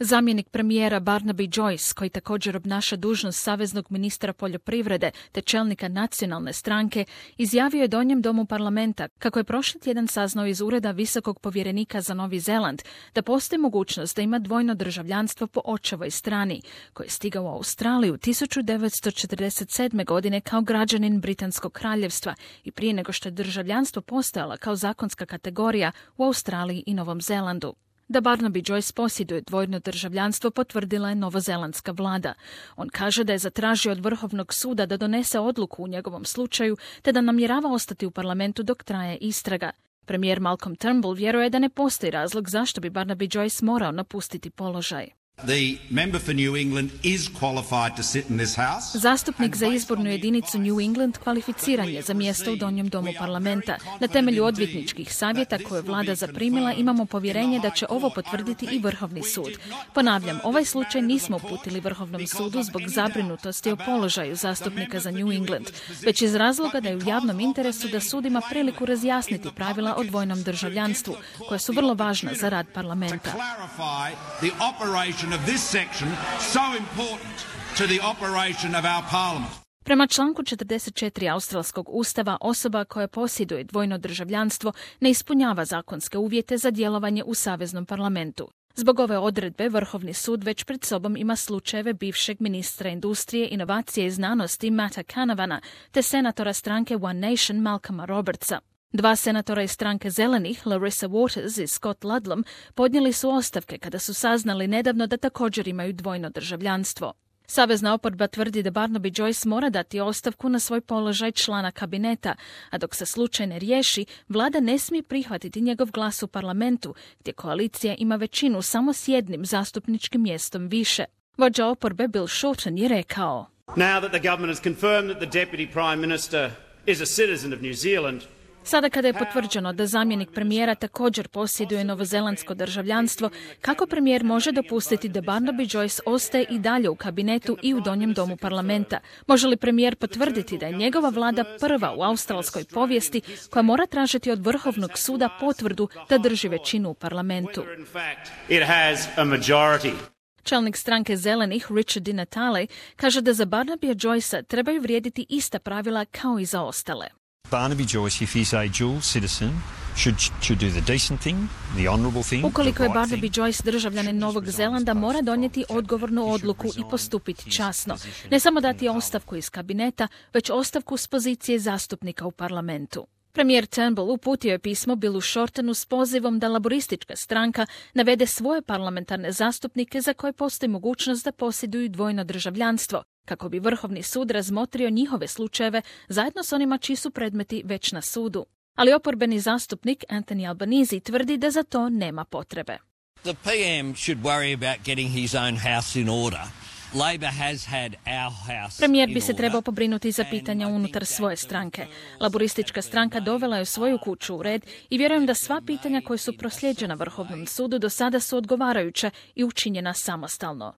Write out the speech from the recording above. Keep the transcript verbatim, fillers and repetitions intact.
Zamjenik premijera Barnaby Joyce, koji također obnaša dužnost saveznog ministra poljoprivrede te čelnika nacionalne stranke, izjavio je Donjem domu parlamenta kako je prošli tjedan saznao iz ureda visokog povjerenika za Novi Zeland da postoji mogućnost da ima dvojno državljanstvo po očevoj strani, koji je stigao u Australiju tisuću devetsto četrdeset sedme. godine kao građanin Britanskog kraljevstva i prije nego što je državljanstvo postojalo kao zakonska kategorija u Australiji i Novom Zelandu. Da Barnaby Joyce posjeduje dvojno državljanstvo potvrdila je novozelandska vlada. On kaže da je zatražio od Vrhovnog suda da donese odluku u njegovom slučaju te da namjerava ostati u parlamentu dok traje istraga. Premijer Malcolm Turnbull vjeruje da ne postoji razlog zašto bi Barnaby Joyce morao napustiti položaj. The member for New England is qualified to sit in this house. Zastupnik za izbornu jedinicu New England kvalificiran je za mjesto u Donjem domu parlamenta. Na temelju odvjetničkih savjeta koje je vlada zaprimila imamo povjerenje da će ovo potvrditi i Vrhovni sud. Ponavljam, ovaj slučaj nismo uputili Vrhovnom sudu zbog zabrinutosti o položaju zastupnika za New England, već iz razloga da je u javnom interesu da sud ima priliku razjasniti pravila o dvojnom državljanstvu, koja su vrlo važna za rad parlamenta. Of this section so important to the operation of our parliament. Prema članku četrdeset četiri australskog ustava, osoba koja posjeduje dvojno državljanstvo ne ispunjava zakonske uvjete za djelovanje u saveznom parlamentu. Zbog ove odredbe, Vrhovni sud već pred sobom ima slučajeve bivšeg ministra industrije, inovacije i znanosti Matta Canavana te senatora stranke One Nation Malcolma Robertsa. Dva senatora iz stranke Zelenih, Larissa Waters i Scott Ludlam, podnijeli su ostavke kada su saznali nedavno da također imaju dvojno državljanstvo. Savezna oporba tvrdi da Barnaby Joyce mora dati ostavku na svoj položaj člana kabineta, a dok se slučaj ne riješi, vlada ne smije prihvatiti njegov glas u parlamentu, gdje koalicija ima većinu samo s jednim zastupničkim mjestom više. Vođa oporbe Bill Shorten je rekao: Now that the government has confirmed that the deputy prime minister is a citizen of New Zealand, Sada kada je potvrđeno da zamjenik premijera također posjeduje novozelandsko državljanstvo, kako premijer može dopustiti da Barnaby Joyce ostaje i dalje u kabinetu i u Donjem domu parlamenta? Može li premijer potvrditi da je njegova vlada prva u australskoj povijesti koja mora tražiti od Vrhovnog suda potvrdu da drži većinu u parlamentu? Čelnik stranke Zelenih, Richard Di Natale, kaže da za Barnabya Joycea trebaju vrijediti ista pravila kao i za ostale. Barnaby Joyce, if he's a dual citizen, should, should do the decent thing, the honourable thing. Ukoliko je Barnaby Joyce državljanin Novog Zelanda, mora donijeti odgovornu odluku i postupiti časno. Ne samo dati ostavku iz kabineta, već ostavku s pozicije zastupnika u parlamentu. Premijer Turnbull uputio je pismo Billu Shortenu s pozivom da laboristička stranka navede svoje parlamentarne zastupnike za koje postoji mogućnost da posjeduju dvojno državljanstvo, kako bi Vrhovni sud razmotrio njihove slučajeve zajedno s onima čiji su predmeti već na sudu. Ali oporbeni zastupnik Anthony Albanese tvrdi da za to nema potrebe. The P M should worry about getting his own house in order. Labor has had our house. Premijer bi se trebao pobrinuti za pitanja unutar svoje stranke. Laboristička stranka dovela je svoju kuću u red i vjerujem da sva pitanja koje su proslijeđena Vrhovnom sudu do sada su odgovarajuća i učinjena samostalno.